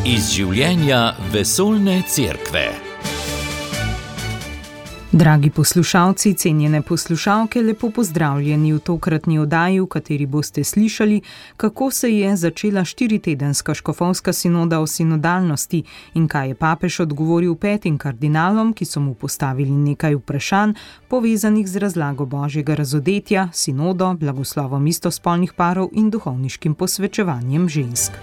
Iz življenja vesoljne cerkve. Dragi poslušalci, cenjene poslušalke, lepo pozdravljeni v tokratni oddaji, v kateri boste slišali, kako se je začela 4-tedenska škofovska sinoda o sinodalnosti in kaj je papež odgovoril 5 kardinalom, ki so mu postavili nekaj vprašanj, povezanih z razlago Božjega razodetja, sinodo, blagoslovom istospolnih parov in duhovniškim posvečevanjem žensk.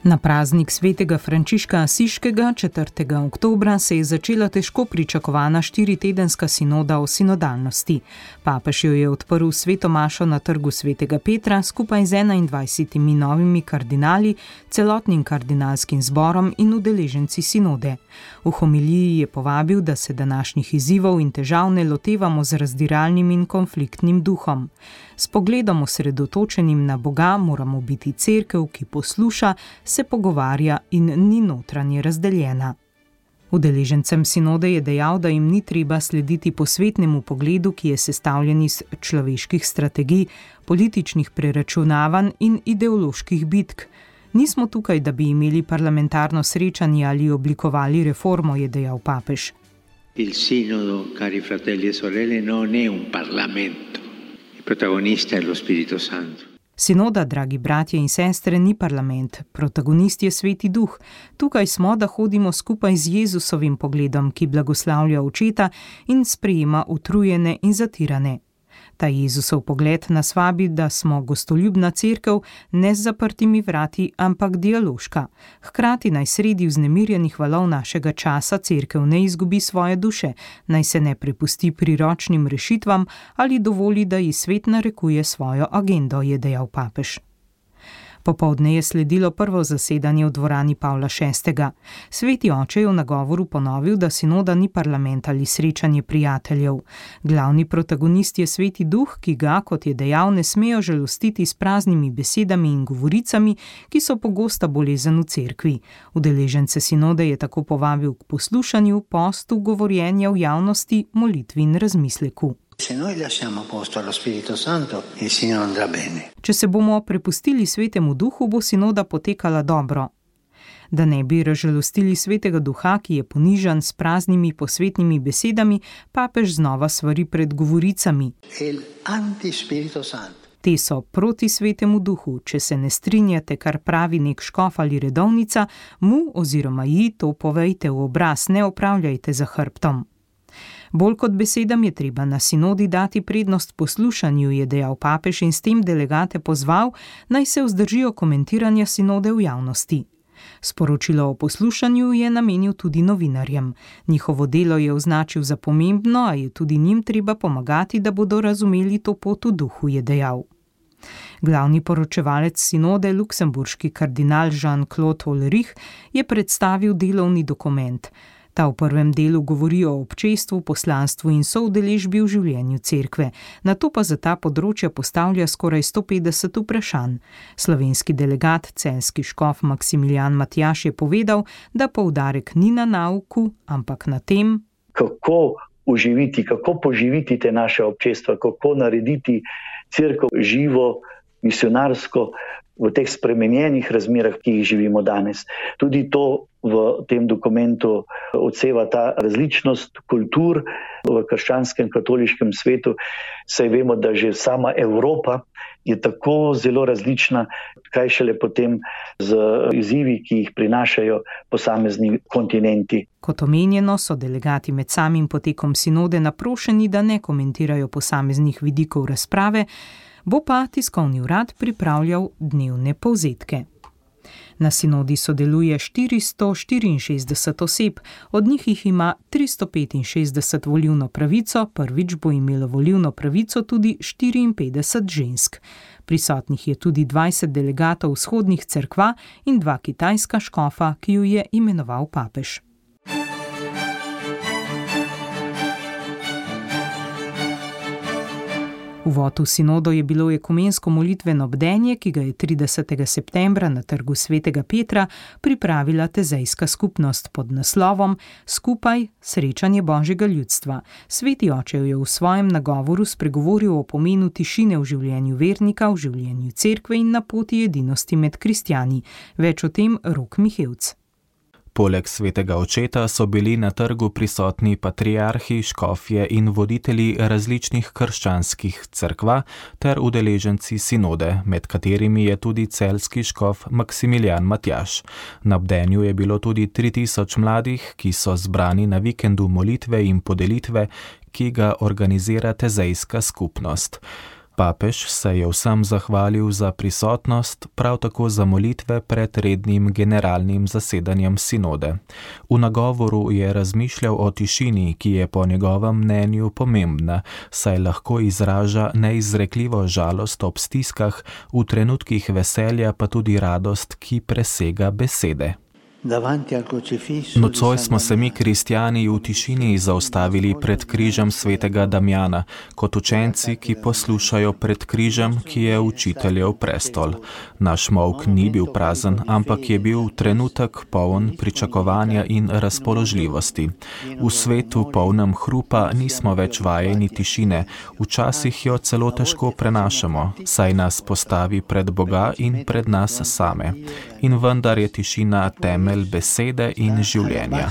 Na praznik svetega Frančiška Asiškega 4. oktobra se je začela težko pričakovana 4-tedenska sinoda o sinodalnosti. Papež jo je odprl sveto mašo na trgu svetega Petra skupaj z 21 novimi kardinali, celotnim kardinalskim zborom in udeleženci sinode. V homiliji je povabil, da se današnjih izzivov in težav ne lotevamo z razdiralnim in konfliktnim duhom. S pogledom osredotočenim na Boga moramo biti cerkev, ki posluša, se pogovarja in ni notranje razdeljena. Udeležencem sinode je dejal, da jim ni treba slediti posvetnemu pogledu, ki je sestavljen iz človeških strategij, političnih preračunavanj in ideoloških bitk. Nismo tukaj, da bi imeli parlamentarno srečanje ali oblikovali reformo, je dejal papež. Il sinodo, cari fratelli e sorelle, non è un parlamento. Il protagonista è lo Spirito Santo. Sinoda, dragi bratje in sestre, ni parlament, protagonist je Sveti Duh. Tukaj smo, da hodimo skupaj z Jezusovim pogledom, ki blagoslavlja očeta in sprejema utrujene in zatirane. Ta Jezusov pogled nas vabi, da smo gostoljubna cerkev, ne z zaprtimi vrati, ampak dialoška. Hkrati naj sredi vznemirjenih valov našega časa cerkev ne izgubi svoje duše, naj se ne prepusti priročnim rešitvam ali dovoli, da ji svet narekuje svojo agendo, je dejal papež. Popoldne je sledilo prvo zasedanje v dvorani Pavla VI. Sveti oče je v nagovoru ponovil, da sinoda ni parlament ali srečanje prijateljev. Glavni protagonist je Sveti Duh, ki ga, kot je dejal, ne smejo žalostiti s praznimi besedami in govoricami, ki so pogosta bolezen v cerkvi. Udeležence sinode je tako povabil k poslušanju, postu, govorjenja v javnosti, molitvi in razmisleku. Če se bomo prepustili Svetemu Duhu, bo sinoda potekala dobro. Da ne bi razžalostili Svetega Duha, ki je ponižan s praznimi posvetnimi besedami, papež znova svari pred govoricami. Te so proti Svetemu Duhu. Če se ne strinjate, kar pravi nek škof ali redovnica, mu oziroma ji to povejte v obraz, ne opravljajte za hrbtom. Bolj kot besedam je treba na sinodi dati prednost poslušanju, je dejal papež in s tem delegate pozval, naj se vzdržijo komentiranja sinode v javnosti. Sporočilo o poslušanju je namenil tudi novinarjem. Njihovo delo je označil za pomembno, a je tudi njim treba pomagati, da bodo razumeli to pot v duhu, je dejal. Glavni poročevalec sinode, luksemburški kardinal Jean-Claude Ulrich, je predstavil delovni dokument. Ta v prvem delu govori o občestvu, poslanstvu in soudeležbi v življenju cerkve, nato pa za ta področja postavlja skoraj 150 vprašanj. Slovenski delegat, celjski škof Maksimilijan Matjaž je povedal, da poudarek ni na nauku, ampak na tem, kako oživiti, kako poživiti te naše občestva, kako narediti cerkev živo, misionarsko v teh spremenjenih razmerah, ki jih živimo danes. Tudi to v tem dokumentu odseva ta različnost kultur v krščanskem katoliškem svetu, saj vemo, da že sama Evropa je tako zelo različna, kaj šele potem z izzivi, ki jih prinašajo posamezni kontinenti. Kot omenjeno, so delegati med samim potekom sinode naprošeni, da ne komentirajo posameznih vidikov razprave, bo pa tiskovni urad pripravljal dnevne povzetke. Na sinodi sodeluje 464 oseb, od njih jih ima 365 volilno pravico, prvič bo imelo volilno pravico tudi 54 žensk. Prisotnih je tudi 20 delegatov vzhodnih cerkva in 2 kitajska škofa, ki ju je imenoval papež. Uvod v sinodo je bilo ekumensko molitveno bdenje, ki ga je 30. septembra na trgu Svetega Petra pripravila tezejska skupnost pod naslovom Skupaj srečanje Božjega ljudstva. Sveti oče je v svojem nagovoru spregovoril o pomenu tišine v življenju vernika, v življenju cerkve in na poti edinosti med kristjani. Več o tem Rok Mihevc. Poleg svetega očeta so bili na trgu prisotni patriarhi, škofje in voditelji različnih krščanskih cerkva ter udeleženci sinode, med katerimi je tudi celjski škof Maksimilijan Matjaž. Na bdenju je bilo tudi 3000 mladih, ki so zbrani na vikendu molitve in podelitve, ki ga organizira tezejska skupnost. Papež se je vsem zahvalil za prisotnost, prav tako za molitve pred rednim generalnim zasedanjem sinode. V nagovoru je razmišljal o tišini, ki je po njegovem mnenju pomembna, saj lahko izraža neizrekljivo žalost ob stiskah, v trenutkih veselja pa tudi radost, ki presega besede. Nocoj smo se mi kristjani v tišini zaustavili pred križem svetega Damjana, kot učenci, ki poslušajo pred križem, ki je učiteljev prestol. Naš molk ni bil prazen, ampak je bil trenutek poln pričakovanja in razpoložljivosti. V svetu polnem hrupa nismo več vajeni tišine, včasih jo celo težko prenašamo, saj nas postavi pred Boga in pred nas same. In vendar je tišina temelj besede in življenja.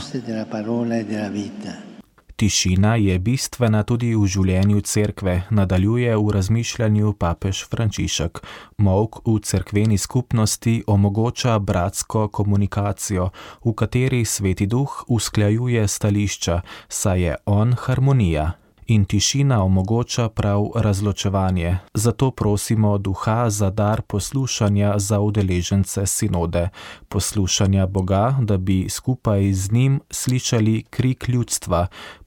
Tišina je bistvena tudi v življenju cerkve, nadaljuje v razmišljanju papež Frančišek. Molk v cerkveni skupnosti omogoča bratsko komunikacijo, v kateri Sveti Duh usklajuje stališča, saj je on harmonija. In tišina omogoča prav razločevanje. Zato prosimo Duha za dar poslušanja za udeležence sinode. Poslušanja Boga, da bi skupaj z njim slišali krik ljudstva.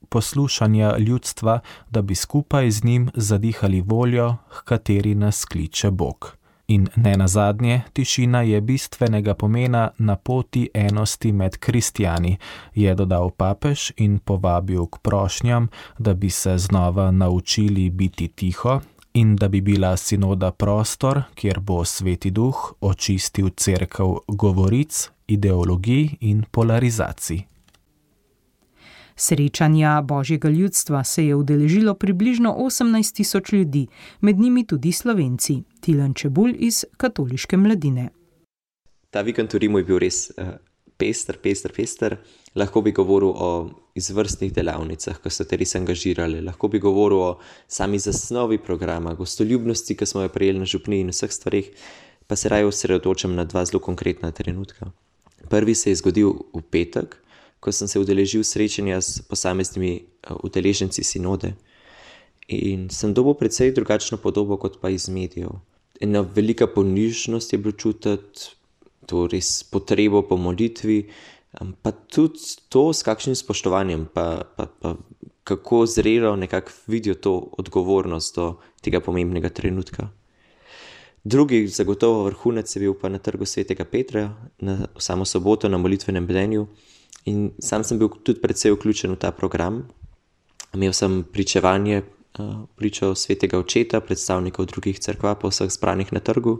Poslušanja ljudstva, da bi skupaj z njim zadihali voljo, h kateri nas kliče Bog. In ne nazadnje, tišina je bistvenega pomena na poti enosti med kristjani, je dodal papež in povabil k prošnjam, da bi se znova naučili biti tiho in da bi bila sinoda prostor, kjer bo Sveti Duh očistil cerkev govoric, ideologij in polarizacij. Srečanja Božjega ljudstva se je udeležilo približno 18.000 ljudi, med njimi tudi Slovenci. Tilen Čebulj iz Katoliške mladine. Ta vikend v Rimu je bil res pester. Lahko bi govoril o izvrstnih delavnicah, ki so te res angažirali. Lahko bi govoril o sami zasnovi programa, gostoljubnosti, ki smo jo prejeli na župniji in vseh stvarih, pa se raje osredotočam na dva zelo konkretna trenutka. Prvi se je zgodil v petek, ko sem se udeležil srečanja s posameznimi udeleženci sinode in sem dobil precej drugačno podobo kot pa iz medijev. Ena velika ponižnost je bilo čutiti, to res potrebo po molitvi, pa tudi to s kakšnim spoštovanjem, pa kako zrelo nekako vidijo to odgovornost do tega pomembnega trenutka. Drugi zagotovo vrhunec je bil pa na trgu Svetega Petra, na samo soboto na molitvenem bdenju. In sam sem bil tudi precej vključen v ta program. Imel sem pričevanje, pričo Svetega očeta, predstavnikov drugih cerkva po vseh zbranih na trgu.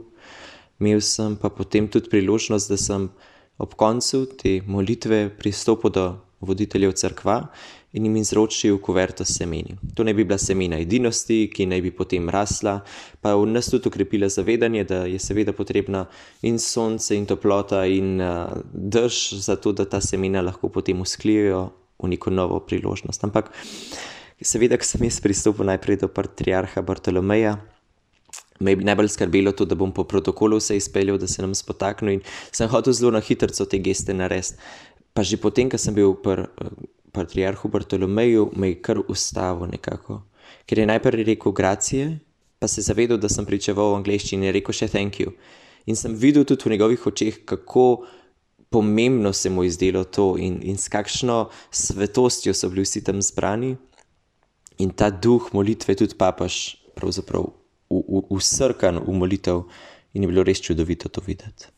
Imel sem pa potem tudi priložnost, da sem ob koncu te molitve pristopil do voditeljev cerkva in jim izročil kuverto s semeni. To naj bi bila semena edinosti, ki naj bi potem rasla, pa v nas tudi okrepila zavedanje, da je seveda potrebna in sonce in toplota in dež za to, da ta semena lahko potem usklijejo v neko novo priložnost. Ampak seveda, ko sem jaz pristopil najprej do patriarha Bartolomeja, me je najbolj skrbelo to, da bom po protokolu vse izpeljal, da se nam spotaknil in sem hotel zelo na hitrco te geste narediti. Pa že potem, ko sem bil patriarhu Bartolomeju, me je kar ustavil nekako. Ker je najprej rekel gracije, pa se zavedal, da sem pričeval v angleščini in je rekel še thank you. In sem videl tudi v njegovih očeh, kako pomembno se mu je zdelo to in s kakšno svetostjo so bili vsi tam zbrani. In ta duh molitve tudi papež pravzaprav usrkan v molitev in je bilo res čudovito to videti.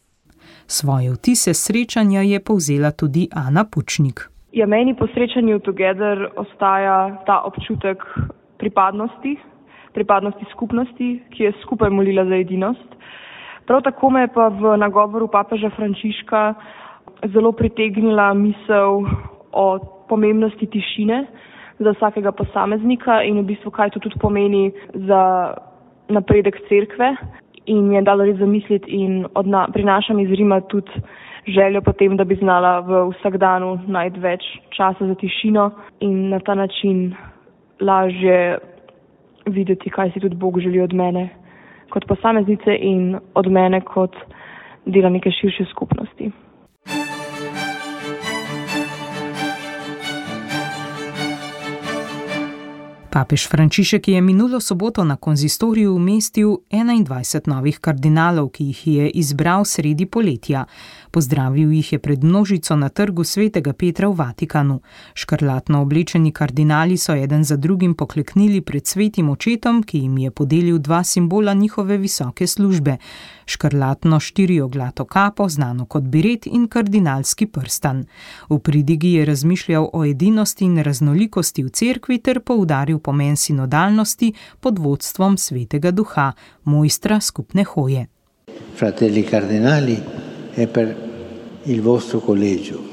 Svoje vtise srečanja je povzela tudi Ana Pučnik. Ja, meni po srečanju Together ostaja ta občutek pripadnosti, pripadnosti skupnosti, ki je skupaj molila za edinost. Prav tako me je pa v nagovoru papeža Frančiška zelo pritegnila misel o pomembnosti tišine za vsakega posameznika in v bistvu kaj to tudi pomeni za napredek cerkve in mi je dalo res zamisliti in prinašam iz Rima tudi željo potem, da bi znala v vsakdanu najti več časa za tišino in na ta način lažje videti, kaj si tudi Bog želi od mene kot posameznice in od mene kot dela neke širše skupnosti. Papež Frančišek je minulo soboto na konzistoriju umestil 21 novih kardinalov, ki jih je izbral sredi poletja. Pozdravil jih je pred množico na trgu Svetega Petra v Vatikanu. Škrlatno oblečeni kardinali so eden za drugim pokleknili pred svetim očetom, ki jim je podelil dva simbola njihove visoke službe. Škrlatno štirioglato kapo, znano kot biret, in kardinalski prstan. V pridigi je razmišljal o edinosti in raznolikosti v cerkvi ter poudaril pomen sinodalnosti pod vodstvom Svetega Duha, mojstra skupne hoje. Fratelli cardinali, è per il vostro collegio.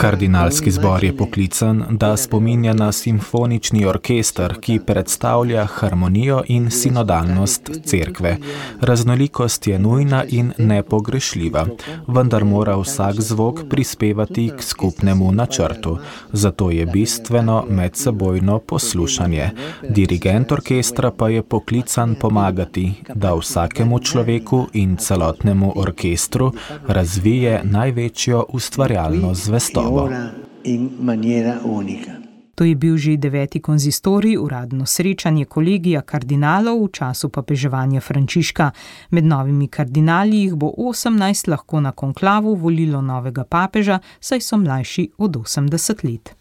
Kardinalski zbor je poklican, da spominja na simfonični orkester, ki predstavlja harmonijo in sinodalnost cerkve. Raznolikost je nujna in nepogrešljiva, vendar mora vsak zvok prispevati k skupnemu načrtu. Zato je bistveno medsebojno poslušanje. Dirigent orkestra pa je poklican pomagati, da vsakemu človeku in celotnemu orkestru razvije največjo ustvarjalno zvestobo. To je bil že 9. konzistorij, uradno srečanje kolegija kardinalov v času papeževanja Frančiška. Med novimi kardinali jih bo 18 lahko na konklavu volilo novega papeža, saj so mlajši od 80 let.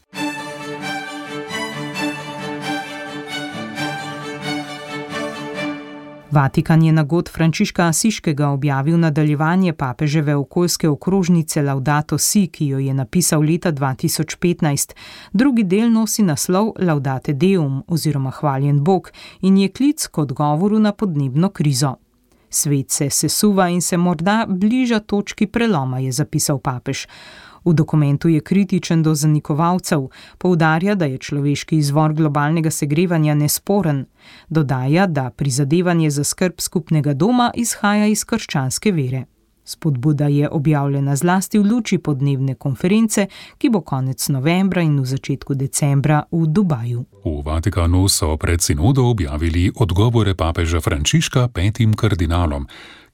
Vatikan je na god Frančiška Asiškega objavil nadaljevanje papeževe okoljske okrožnice Laudato Si, ki jo je napisal leta 2015. Drugi del nosi naslov Laudate Deum oziroma Hvaljen Bog in je klic k odgovoru na podnebno krizo. Svet se sesuva in se morda bliža točki preloma, je zapisal papež. V dokumentu je kritičen do zanikovalcev, poudarja, da je človeški izvor globalnega segrevanja nesporen. Dodaja, da prizadevanje za skrb skupnega doma izhaja iz krščanske vere. Spodbuda je objavljena zlasti v luči podnebne konference, ki bo konec novembra in v začetku decembra v Dubaju. V Vatikanu so pred sinodo objavili odgovore papeža Frančiška 5 kardinalom,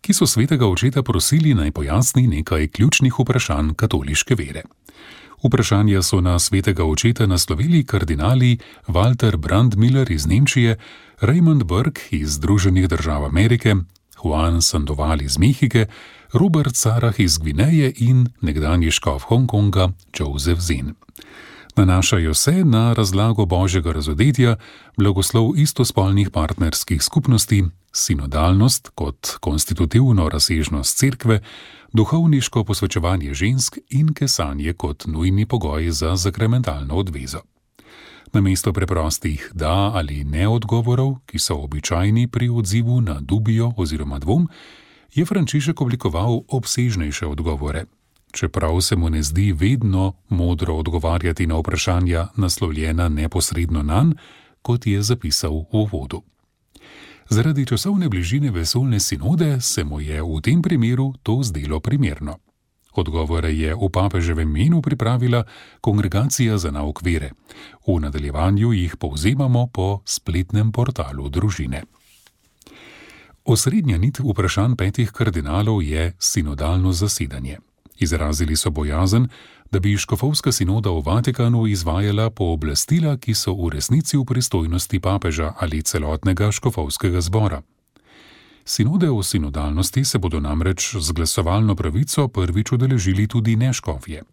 ki so svetega očeta prosili naj pojasni nekaj ključnih vprašanj katoliške vere. Vprašanja so na svetega očeta naslovili kardinali Walter Brandmiller iz Nemčije, Raymond Burke iz Združenih držav Amerike, Juan Sandoval iz Mehike, Robert Sarah iz Gvineje in nekdanji škof Hongkonga Joseph Zin. Nanašajo se na razlago Božjega razodetja, blagoslov istospolnih partnerskih skupnosti, sinodalnost kot konstitutivno razsežnost cerkve, duhovniško posvečevanje žensk in kesanje kot nujni pogoj za sakramentalno odvezo. Namesto preprostih da ali ne odgovorov, ki so običajni pri odzivu na dubijo oziroma dvom, je Frančišek oblikoval obsežnejše odgovore. Čeprav se mu ne zdi vedno modro odgovarjati na vprašanja naslovljena neposredno nanj, kot je zapisal v uvodu. Zaradi časovne bližine vesoljne sinode se mu je v tem primeru to zdelo primerno. Odgovore je v papeževem imenu pripravila Kongregacija za nauk vere. V nadaljevanju jih povzemamo po spletnem portalu družine. Osrednja nit vprašanj 5 kardinalov je sinodalno zasedanje. Izrazili so bojazen, da bi škofovska sinoda v Vatikanu izvajala pooblastila, ki so v resnici v pristojnosti papeža ali celotnega škofovskega zbora. Sinode o sinodalnosti se bodo namreč z glasovalno pravico prvič udeležili tudi neškofje.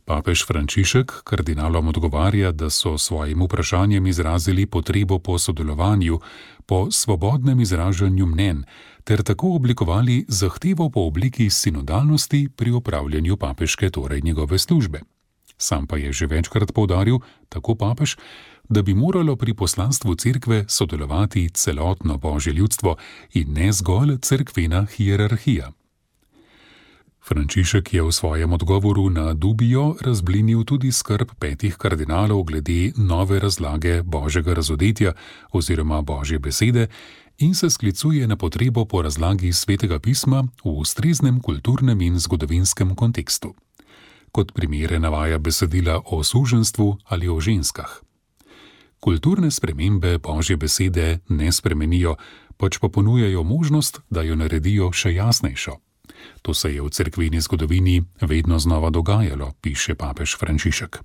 Papež Frančišek kardinalom odgovarja, da so svojim vprašanjem izrazili potrebo po sodelovanju, po svobodnem izražanju mnenj, ter tako oblikovali zahtevo po obliki sinodalnosti pri opravljanju papeške, torej njegove službe. Sam pa je že večkrat poudaril, tako papež, da bi moralo pri poslanstvu cerkve sodelovati celotno božje ljudstvo in ne zgolj cerkvena hierarhija. Frančišek je v svojem odgovoru na Dubijo razblinil tudi skrb 5 kardinalov glede nove razlage božjega razodetja oziroma božje besede in se sklicuje na potrebo po razlagi svetega pisma v ustreznem kulturnem in zgodovinskem kontekstu. Kot primere navaja besedila o suženjstvu ali o ženskah. Kulturne spremembe božje besede ne spremenijo, pač pa ponujajo možnost, da jo naredijo še jasnejšo. To se je v cerkveni zgodovini vedno znova dogajalo, piše papež Frančišek.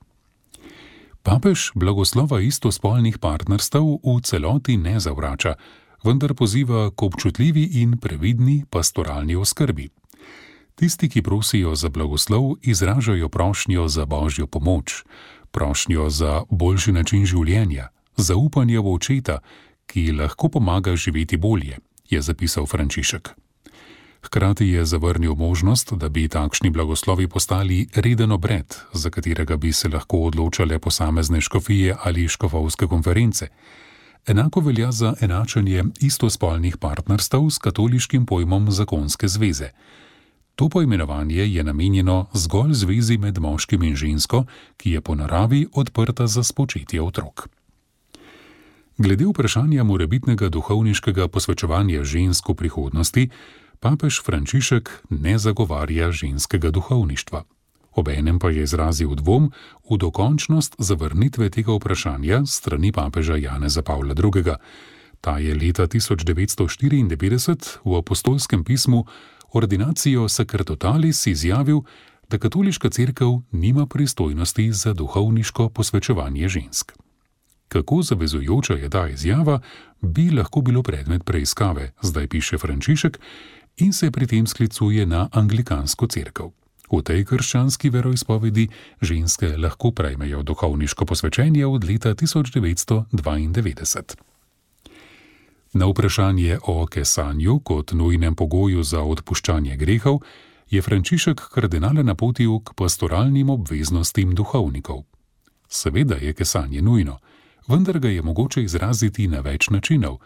Papež blagoslova istospolnih partnerstev v celoti ne zavrača, vendar poziva k občutljivi in previdni pastoralni oskrbi. Tisti, ki prosijo za blagoslov, izražajo prošnjo za božjo pomoč, prošnjo za boljši način življenja, zaupanje v očeta, ki lahko pomaga živeti bolje, je zapisal Frančišek. Hkrati je zavrnil možnost, da bi takšni blagoslovi postali reden obred, za katerega bi se lahko odločale posamezne škofije ali škofovske konference. Enako velja za enačenje istospolnih partnerstev s katoliškim pojmom zakonske zveze. To poimenovanje je namenjeno zgolj zvezi med moškim in žensko, ki je po naravi odprta za spočetje otrok. Glede vprašanja morebitnega duhovniškega posvečevanja žensk v prihodnosti, papež Frančišek ne zagovarja ženskega duhovništva. Obenem pa je izrazil dvom v dokončnost zavrnitve tega vprašanja strani papeža Janeza Pavla II. Ta je leta 1994 v apostolskem pismu Ordinatio Sacerdotalis izjavil, da katoliška cerkev nima pristojnosti za duhovniško posvečevanje žensk. Kako zavezujoča je ta izjava, bi lahko bilo predmet preiskave, zdaj piše Frančišek, in se pri tem sklicuje na anglikansko cerkev. V tej krščanski veroizpovedi ženske lahko prejmejo duhovniško posvečenje od leta 1992. Na vprašanje o kesanju kot nujnem pogoju za odpuščanje grehov je Frančišek kardinale napotil k pastoralnim obveznostim duhovnikov. Seveda je kesanje nujno, vendar ga je mogoče izraziti na več načinov.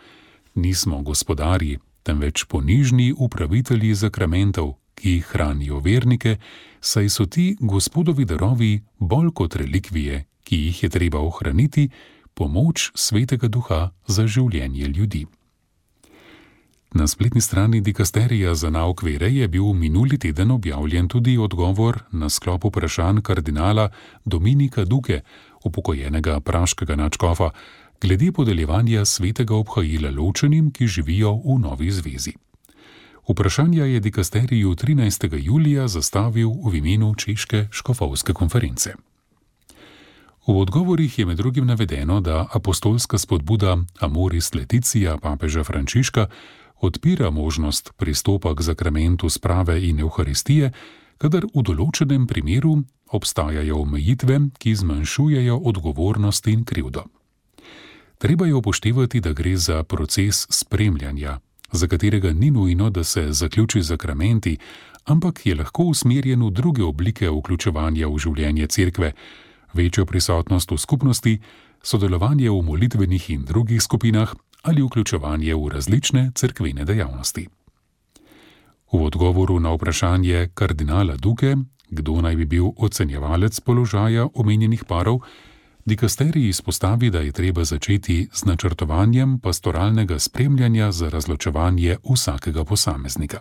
Nismo gospodarji, temveč ponižni upravitelji zakramentov, ki hranijo vernike, saj so ti Gospodovi darovi bolj kot relikvije, ki jih je treba ohraniti, pomoč Svetega Duha za življenje ljudi. Na spletni strani dikasterija za nauk vere je bil minuli teden objavljen tudi odgovor na sklop vprašanj kardinala Dominika Duke, upokojenega praškega nadškofa, glede podeljevanja svetega obhajila ločenim, ki živijo v novi zvezi. Vprašanja je dikasteriju 13. julija zastavil v imenu Češke škofovske konference. V odgovorih je med drugim navedeno, da apostolska spodbuda Amoris Laetitia papeža Frančiška odpira možnost pristopa k zakramentu sprave in evharistije, kadar v določenem primeru obstajajo omejitve, ki zmanjšujejo odgovornost in krivdo. Treba je upoštevati, da gre za proces spremljanja, za katerega ni nujno, da se zaključi zakramenti, ampak je lahko usmerjen v druge oblike vključevanja v življenje cerkve, večjo prisotnost v skupnosti, sodelovanje v molitvenih in drugih skupinah ali vključevanje v različne cerkvene dejavnosti. V odgovoru na vprašanje kardinala Duke, kdo naj bi bil ocenjevalec položaja omenjenih parov, dikasterij izpostavi, da je treba začeti z načrtovanjem pastoralnega spremljanja za razločevanje vsakega posameznika.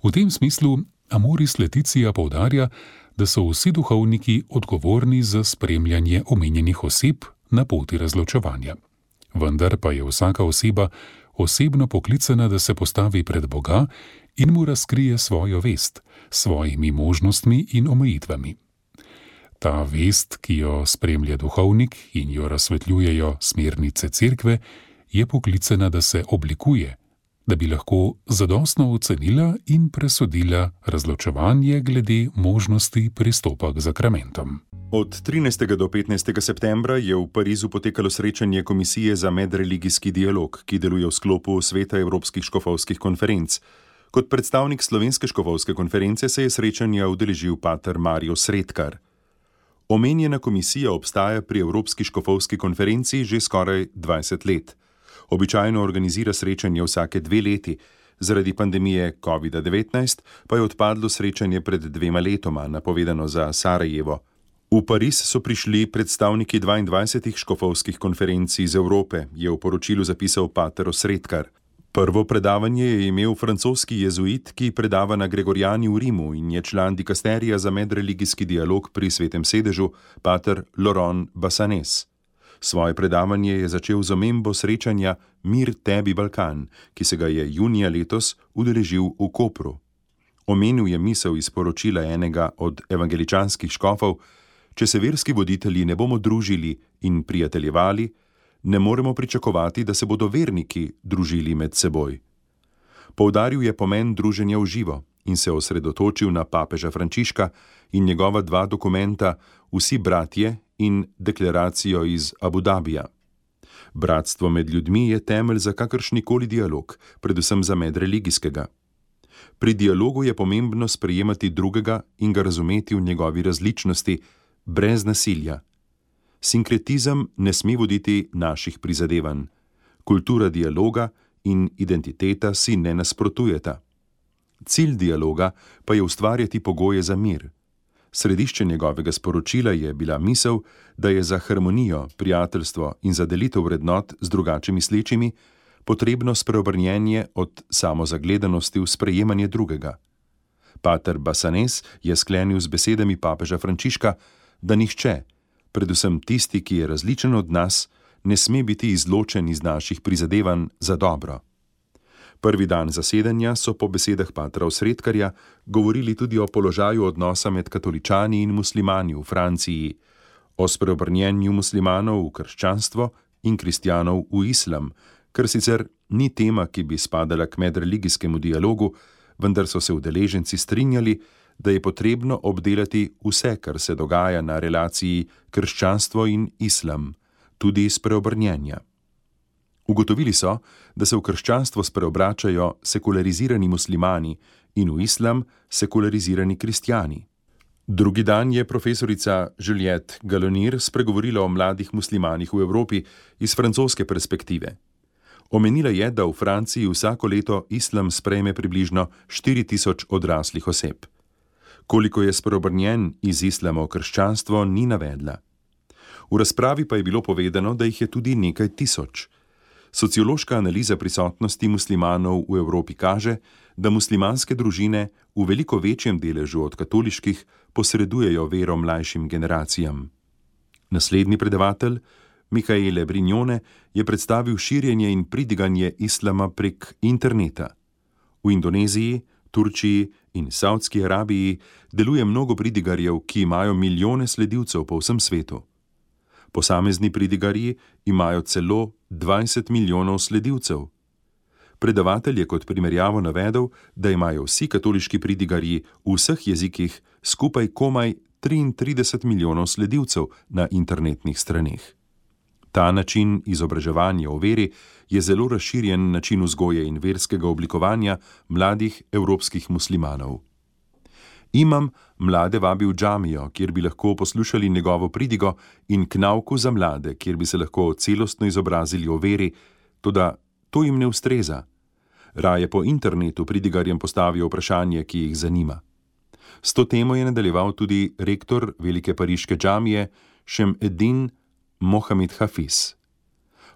V tem smislu Amoris Laetitia poudarja, da so vsi duhovniki odgovorni za spremljanje omenjenih oseb na poti razločevanja. Vendar pa je vsaka oseba osebno poklicana, da se postavi pred Boga in mu razkrije svojo vest, s svojimi možnostmi in omejitvami. Ta vest, ki jo spremlja duhovnik in jo razsvetljujejo smernice cerkve, je poklicana, da se oblikuje, da bi lahko zadostno ocenila in presodila razločevanje glede možnosti pristopa k zakramentom. Od 13. do 15. septembra je v Parizu potekalo srečanje Komisije za medreligijski dialog, ki deluje v sklopu Sveta evropskih škofovskih konferenc. Kot predstavnik Slovenske škofovske konference se je srečanja udeležil pater Mario Sredkar. Omenjena komisija obstaja pri Evropski škofovski konferenci že skoraj 20 let. Običajno organizira srečanje vsake 2 leti, zaradi pandemije COVID-19 pa je odpadlo srečanje pred 2 letoma, napovedano za Sarajevo. V Pariz so prišli predstavniki 22 škofovskih konferenc iz Evrope, je v poročilu zapisal pater Osredkar. Prvo predavanje je imel francoski jezuit, ki predava na Gregorijani v Rimu in je član dikasterija za medreligijski dialog pri Svetem sedežu, pater Laurent Bassanès. Svoje predavanje je začel z omembo srečanja Mir tebi Balkan, ki se ga je junija letos udeležil v Kopru. Omenil je misel iz poročila enega od evangeličanskih škofov: če se verski voditelji ne bomo družili in prijateljevali, ne moremo pričakovati, da se bodo verniki družili med seboj. Poudaril je pomen druženja v živo in se osredotočil na papeža Frančiška in njegova 2 dokumenta Vsi bratje in deklaracijo iz Abu Dabija. Bratstvo med ljudmi je temelj za kakršnikoli dialog, predvsem za medreligijskega. Pri dialogu je pomembno sprejemati drugega in ga razumeti v njegovi različnosti, brez nasilja. Sinkretizem ne sme voditi naših prizadevanj. Kultura dialoga in identiteta si ne nasprotujeta. Cilj dialoga pa je ustvarjati pogoje za mir. Središče njegovega sporočila je bila misel, da je za harmonijo, prijateljstvo in za delitev vrednot z drugače mislečimi potrebno spreobrnjenje od samozagledanosti v sprejemanje drugega. Pater Bassanès je sklenil z besedami papeža Frančiška, da nihče, predvsem tisti, ki je različen od nas, ne sme biti izločen iz naših prizadevanj za dobro. Prvi dan zasedanja so po besedah patra Osredkarja govorili tudi o položaju odnosa med katoličani in muslimani v Franciji, o spreobrnjenju muslimanov v krščanstvo in kristjanov v islam, kar sicer ni tema, ki bi spadala k medreligijskemu dialogu, vendar so se udeleženci strinjali, da je potrebno obdelati vse, kar se dogaja na relaciji krščanstvo in islam, tudi spreobrnjenja. Ugotovili so, da se v krščanstvo spreobračajo sekularizirani muslimani in v islam sekularizirani kristjani. Drugi dan je profesorica Juliette Galonir spregovorila o mladih muslimanih v Evropi iz francoske perspektive. Omenila je, da v Franciji vsako leto islam sprejme približno 4000 odraslih oseb. Koliko je spreobrnjen iz islama v krščanstvo, ni navedla. V razpravi pa je bilo povedano, da jih je tudi nekaj tisoč. Sociološka analiza prisotnosti muslimanov v Evropi kaže, da muslimanske družine v veliko večjem deležu od katoliških posredujejo vero mlajšim generacijam. Naslednji predavatelj, Michaele Brignone, je predstavil širjenje in pridiganje islama prek interneta. V Indoneziji, Turčiji in Saudski Arabiji deluje mnogo pridigarjev, ki imajo milijone sledilcev po vsem svetu. Posamezni pridigarji imajo celo 20 milijonov sledilcev. Predavatelj je kot primerjavo navedel, da imajo vsi katoliški pridigarji v vseh jezikih skupaj komaj 33 milijonov sledilcev na internetnih straneh. Ta način izobraževanja o veri je zelo razširjen način vzgoje in verskega oblikovanja mladih evropskih muslimanov. Imam mlade vabi v džamijo, kjer bi lahko poslušali njegovo pridigo, in k nauku za mlade, kjer bi se lahko celostno izobrazili o veri, toda to jim ne ustreza. Raje po internetu pridigarjem postavijo vprašanje, ki jih zanima. S to temo je nadaljeval tudi rektor velike pariške džamije Šemedin Mohamed Hafiz.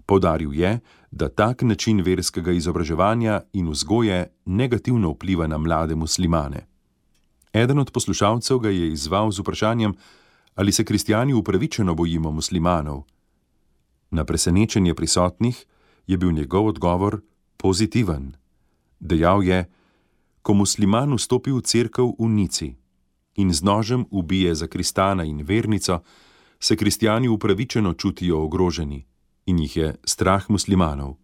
Poudaril je, da tak način verskega izobraževanja in vzgoje negativno vpliva na mlade muslimane. Eden od poslušalcev ga je izzval z vprašanjem, ali se kristjani upravičeno bojimo muslimanov. Na presenečenje prisotnih je bil njegov odgovor pozitiven. Dejal je, ko musliman vstopi v cerkev v Nici in z nožem ubije zakristana in vernico, se kristjani upravičeno čutijo ogroženi in jih je strah muslimanov.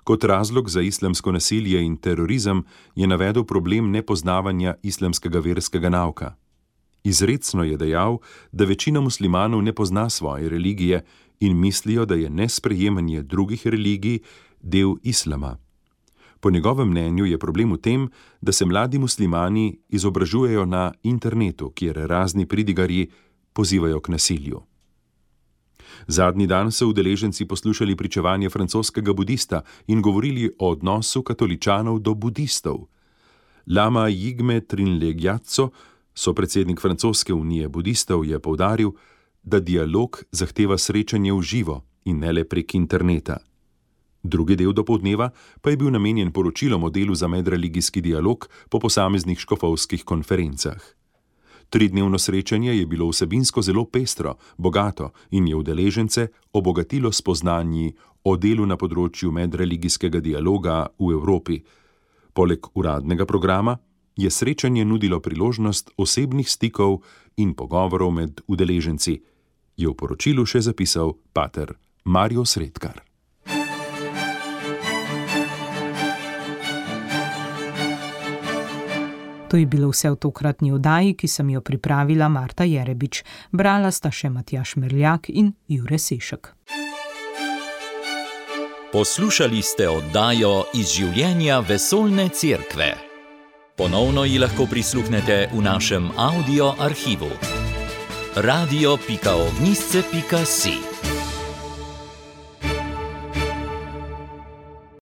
Kot razlog za islamsko nasilje in terorizem je navedel problem nepoznavanja islamskega verskega nauka. Izrecno je dejal, da večina muslimanov ne pozna svoje religije in mislijo, da je nesprejemanje drugih religij del islama. Po njegovem mnenju je problem v tem, da se mladi muslimani izobražujejo na internetu, kjer razni pridigarji pozivajo k nasilju. Zadnji dan so udeleženci poslušali pričevanje francoskega budista in govorili o odnosu katoličanov do budistov. Lama Jigme Trinley-Gyatso, sopredsednik Francoske unije budistov, je poudaril, da dialog zahteva srečanje v živo in ne le prek interneta. Drugi del dopoldneva pa je bil namenjen poročilom o delu za medreligijski dialog po posameznih škofovskih konferencah. 3-dnevno srečanje je bilo vsebinsko zelo pestro, bogato in je udeležence obogatilo spoznanji o delu na področju medreligijskega dialoga v Evropi. Poleg uradnega programa je srečanje nudilo priložnost osebnih stikov in pogovorov med udeleženci, je v poročilu še zapisal pater Mario Sredkar. To je bilo vse v tokratni oddaji, ki sem jo pripravila Marta Jerebič. Brala sta še Matjaž Merljak in Jure Sešek. Poslušali ste oddajo Iz življenja vesoljne cerkve. Ponovno ji lahko prisluhnete v našem audio arhivu. radio.ognisce.si